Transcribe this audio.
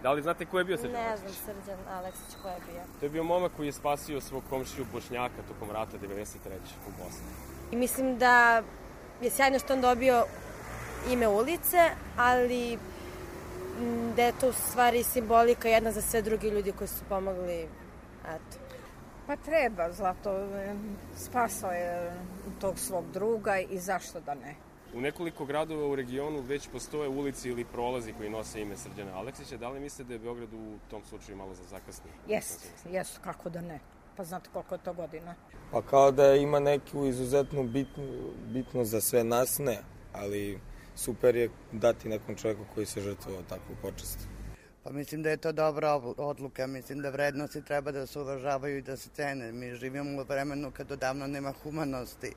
Da li znate ko je bio Srđan Ne Aleksić? znam Srđan Aleksić ko je bio. To je bio momak koji je spasio svog komšiju Bošnjaka tokom rata 93. u Bosni. I mislim da je sjajno što on dobio ime ulice, ali da je to u stvari simbolika jedna za sve drugi ljudi koji su pomogli, eto. Pa treba, Zlato spasao je tog svog druga i zašto da ne. U nekoliko gradova u regionu već postoje ulici ili prolazi koji nose ime Srđana Aleksića. Da li mislite da je Beograd u tom slučaju malo zakasnio? Jesu, kako da ne. Pa znate koliko je to godina. Pa kao da ima neku izuzetnu bitnost za sve nas, ne. Ali super je dati nekom čovjeku koji se žrtvovao takvu počast. Pa mislim da je to dobra odluka, mislim da vrednosti treba da se uvažavaju i da se cene. Mi živimo u vremenu kad odavno nema humanosti.